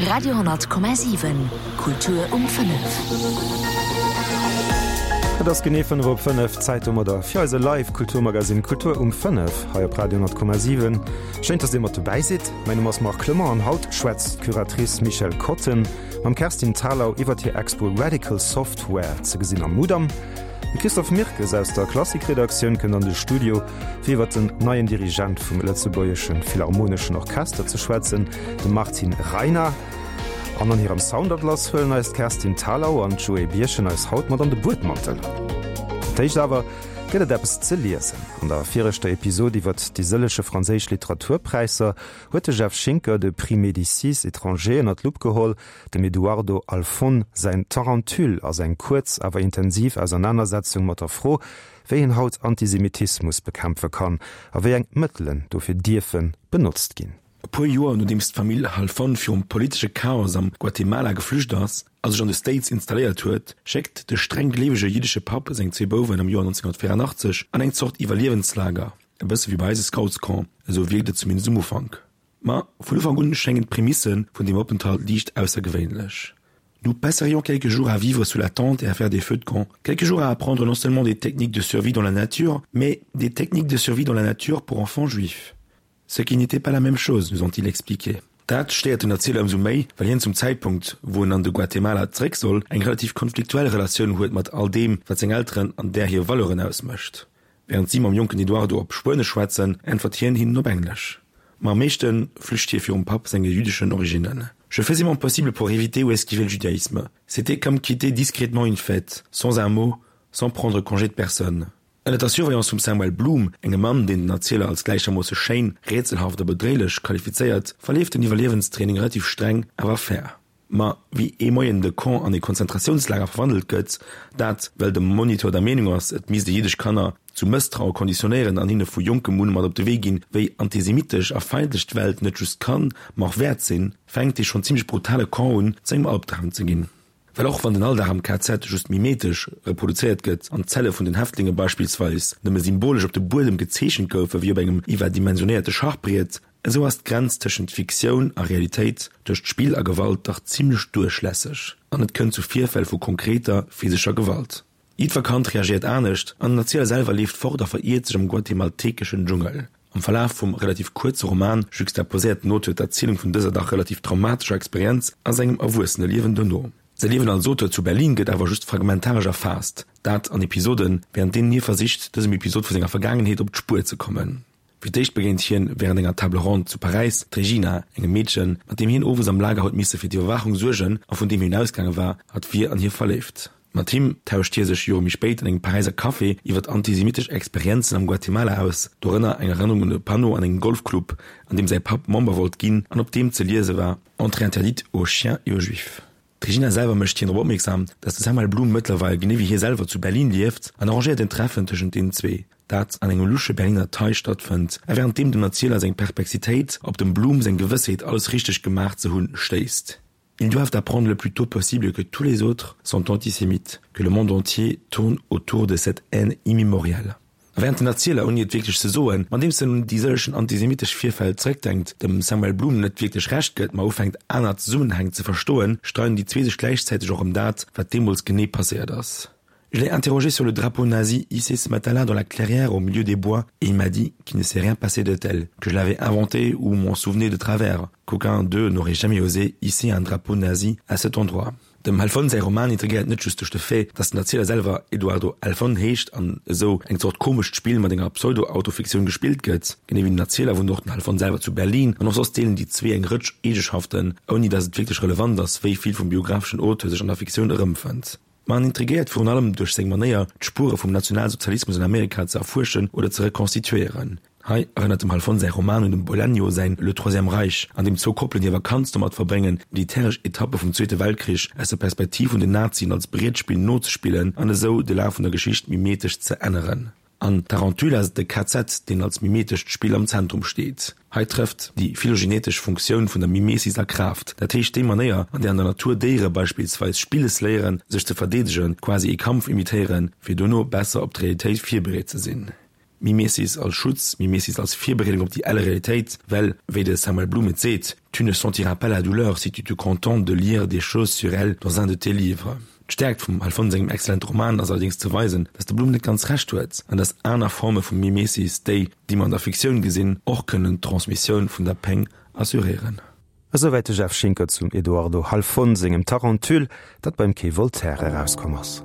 Radio,7 Kultur um 5. Et ass genee 5 op 5, Zäit domadder fir eise Live Kulturmagasinn Kultur um 5 hei op Radio 10,7. Schéin, dass Dir mat dobäi sidd. Mäin Numm ass Marc Clement an haut schwätzt d'Curatrice Michèle Kotten mam Kerstin Thalau iwwert hir Expo Radical Software, ze gesinn am Mudam. De Christophe Mirkes aus der Klassik-Redaktioun kënnt an de Studio, fir iwwer den neien Dirigent vum Lëtzebuergesche Philharmoneschen Orchester ze schwätzen, de Martin Reiner. An an hirem Soundatlas huelen eis d'Kerstin Thalau an d'Joé Birchen eis haut mat an de Buedmantel. Fir d'éischt awer gëtt et eppes ze liesen. An der viregter Episod iwwer déi sëllege franséisch Literaturpräisser huet de Jeff Schinker de Prix Médicis étranger ënner d'Lupp geholl. Dem Eduardo Halfon säin Tarentule ass eng kuerz awer intensiv Ausernanersetzung mat der Fro, wéi een haut Antisemitismus bekämpfe kann a wéi eng Mëttelen dofir dierfe benotzt ginn. E puer Joer nodeems d'Famill Halfon virum politesche Chaos am Guatemala geflücht ass a sech an de States installéiert huet, schéckt de streng gleewege jiddesche Papp seng zwee Bouwen am Joer 1984 an eng Zort Iwwerliewenslager, e bësse wéi bei eise Scoutscamp, esou wierkt et zumindest um Ufank. Ma vun Ufank un schéngen d'Prämisse vun deem Openthalt liicht aussergewéinlech. Nous passerions quelques jours à vivre sous la tente et à faire des feux de camp, quelques jours à apprendre non seulement des techniques de survie dans la nature, mais des techniques de survie dans la nature pour enfants juifs. Ce qui n'était pas la même chose, nous ont-ils expliqué. Dat stéiert den Erzieler ëmsou méi, well hien zum Zäitpunkt, wou en an de Guatemala zeréck soll, eng relativ konfliktuell Relatioun huet mat all deem, wat seng Elteren an där hir Valeuren ausmécht. Wärend si mam jonken Eduardo op Spuenesch schwätzen, äntwert hien hinnen op Englesch. Ma am meeschte flücht hie virum Papp senge jüddeschen Originnen. Je faisais mon possible pour éviter ou esquiver le judaïsme. C'était comme quitter discrètement une fête, sans un mot, sans prendre congé de personne. Ënner der Surveillance vum Samuel Bloom, engem Mann, deen den Erzieler als gläichermoosse schéin, rätselhaft a bedréilech qualifizéiert, verleeft den Iwwerliewenstraining relativ streng, awer fair. Ma wéi ee Moien de Camp an ee Konzentratiounslager verwandelt gëtt, dat well de Moniteur der Meenung ass, et misst ee jiddesch Kanner zu Mësstraue konditionéieren an hinne vu jonkem un mat op de Wee ginn, wéi antisemitesch a feindlech d'Welt net just kann, ma och wäert sinn, fänkt dee schonn zimmlech brutale Camp un zu engem Albdram ze ginn. Well och wann den Alldag am KZ just mimetesch reproduzéiert gëtt an d'Zelle vun den Häftlinge beispillsweis nëmme symbolesch op de Buedem gezeechent goufe wéi op engem iwwerdimensionéierte Schachbriet, Esou ass d'Grenz tëschent Fiktioun a Realitéit tëscht Spill a Gewalt dach zimmlech duerchlässeg an et kënnt zu Virfäll vu konkreter physescher Gewalt. Jiddwer Kand reagéiert anescht an den Erzieler selwer leeft fort a veriert sech am guatemaltekeschen Dschungel. Am Verlaf vum relativ kuerze Roman juxtaposéiert den Auteur d'Erzielung vun dëser dach relativ traumatescher Experienz a sengem Erwuesseneliewen dono. Säi Liewen als Auteur zu Berlin gëtt awer just fragmentaresch erfaasst, dat an Episoden, wärend deenen hie versicht, dësem Episod vu senger Vergaangenheet op d'Spuer ze kommen. Fir d'éischt begéint hien wärend enger Table ronde zu Paräis d'Regina, engem Meedchen, mat deem hien owes am Lager huet misse fir d'Iwwerwaachung suergen a vun deem hien ausgaange war, hatt wier an hie verléift. Mat him tauscht hie sech Jore méi spéit an engem Paräiser Café iwwer antisemitesch Experienzen am Guatemala aus, dorënner eng Erënnerung un e Panneau an engem Golfclub, an deem säi Papp Member wollt ginn an op deem ze liese war, Entrée interdite aux chiens et aux juifs. D'Regina selwer mécht hien drop opmierksam, datt de Samuel Blum mëttlerweil genee wéi hie selwer zu Berlin lieft an arrangéiert en Treffen tëschent deenen zwee, dat an engem lusche Berliner Thai stattfënnt a wärend deem dem Erzieler seng Perplexitéit op dem Blum seng Gewëssheet alles richteg gemaach ze hunn stéisst. Ils doivent apprendre le plus tôt possible que tous les autres sont antisémites, que le monde entier tourne autour de cette haine immémoriale. A wärend den Erzieler, ouni et wierklech ze soen, andeems en un déi sëllegen antisemitesch Virfäll zeréckdenkt, dem Samuel Blum net wierklech Recht gëtt, ma ufänkt aner Zesummenhäng ze verstoen, streiden déi zwee sech gläichzäiteg och ëm dat, wat deemools genee passéiert ass. Je l'ai interrogé sur le drapeau nazi hissé ce matin-là dans la clairière au milieu des bois et il m'a dit qu'il ne s'est rien passé de tel, que je l'avais inventé ou m'en souvenais de travers, qu'aucun d'eux n'aurait jamais osé hisser un drapeau nazi à cet endroit. Dem Halfon säi Roman intrigéiert net just duerch de Fait, datt den Erzieler selwer Eduardo Halfon heescht an esou eng Zort komescht Spill mat enger Pseudo-Autofiktioun gespillt gëtt. Genee wéi den Erzieler wunnt och den Halfon selwer zu Berlin an och soss deelen déi zwee eng Rëtsch Eegeschaften, ouni datt et wierklech relevant ass, wéi vill vum biographeschen Auteur sech an der Fiktioun erëmfënnt. Ma en intrigéiert virun allem duerch seng Manéier, d'Spuere vum Nationalsozialismus an Amerika ze erfuerschen oder ze rekonstituéieren. Hei erënnert dem Halfon säi Roman un dem Bolaño säin Le Troisième Reich, an deem zwou Koppelen hir Vakanz domat verbréngen, militäresch Etappe vum Zweete Weltkrich aus der Perspektiv vun den Nazien als Brietspill nozespillen an esou de Laf vun der Geschicht mimetesch ze änneren. An Tarentule ass et de KZ, deen als mimetescht Spill am Zentrum steet. Hei trëfft déi phylogenetesch Funktioun vun der Mimesis a Kraaft, dat heescht déi Manéier, an där an der Natur Déiere beispillsweis spilles léieren, sech ze verdeedegen, quasi ee Kampf imitéieren, fir dono besser op d'Realitéit virbereet ze sinn. Mimesis als Schutz, Mimesis als Virbereedung op déi elle Realitéit, well, wéi de Samuel Blum et seet, Tu ne sentiras pas la douleur si tu te contentes de lire des choses sur elle dans un de tes livres. D'Stäerkt vum Halfon sengem excellente Roman ass allerdéngs ze weisen, datt de Blum net ganz Recht huet an datt aner Forme vu Mimesis, déi, déi mer an der Fiktioun gesinn, och kënnen d'Transmissioun vun der Péng assuréieren. Esouwäit de Jeff Schinker zum Eduardo Halfon sengem Tarentule, dat beim Quai Voltaire erauskomm ass.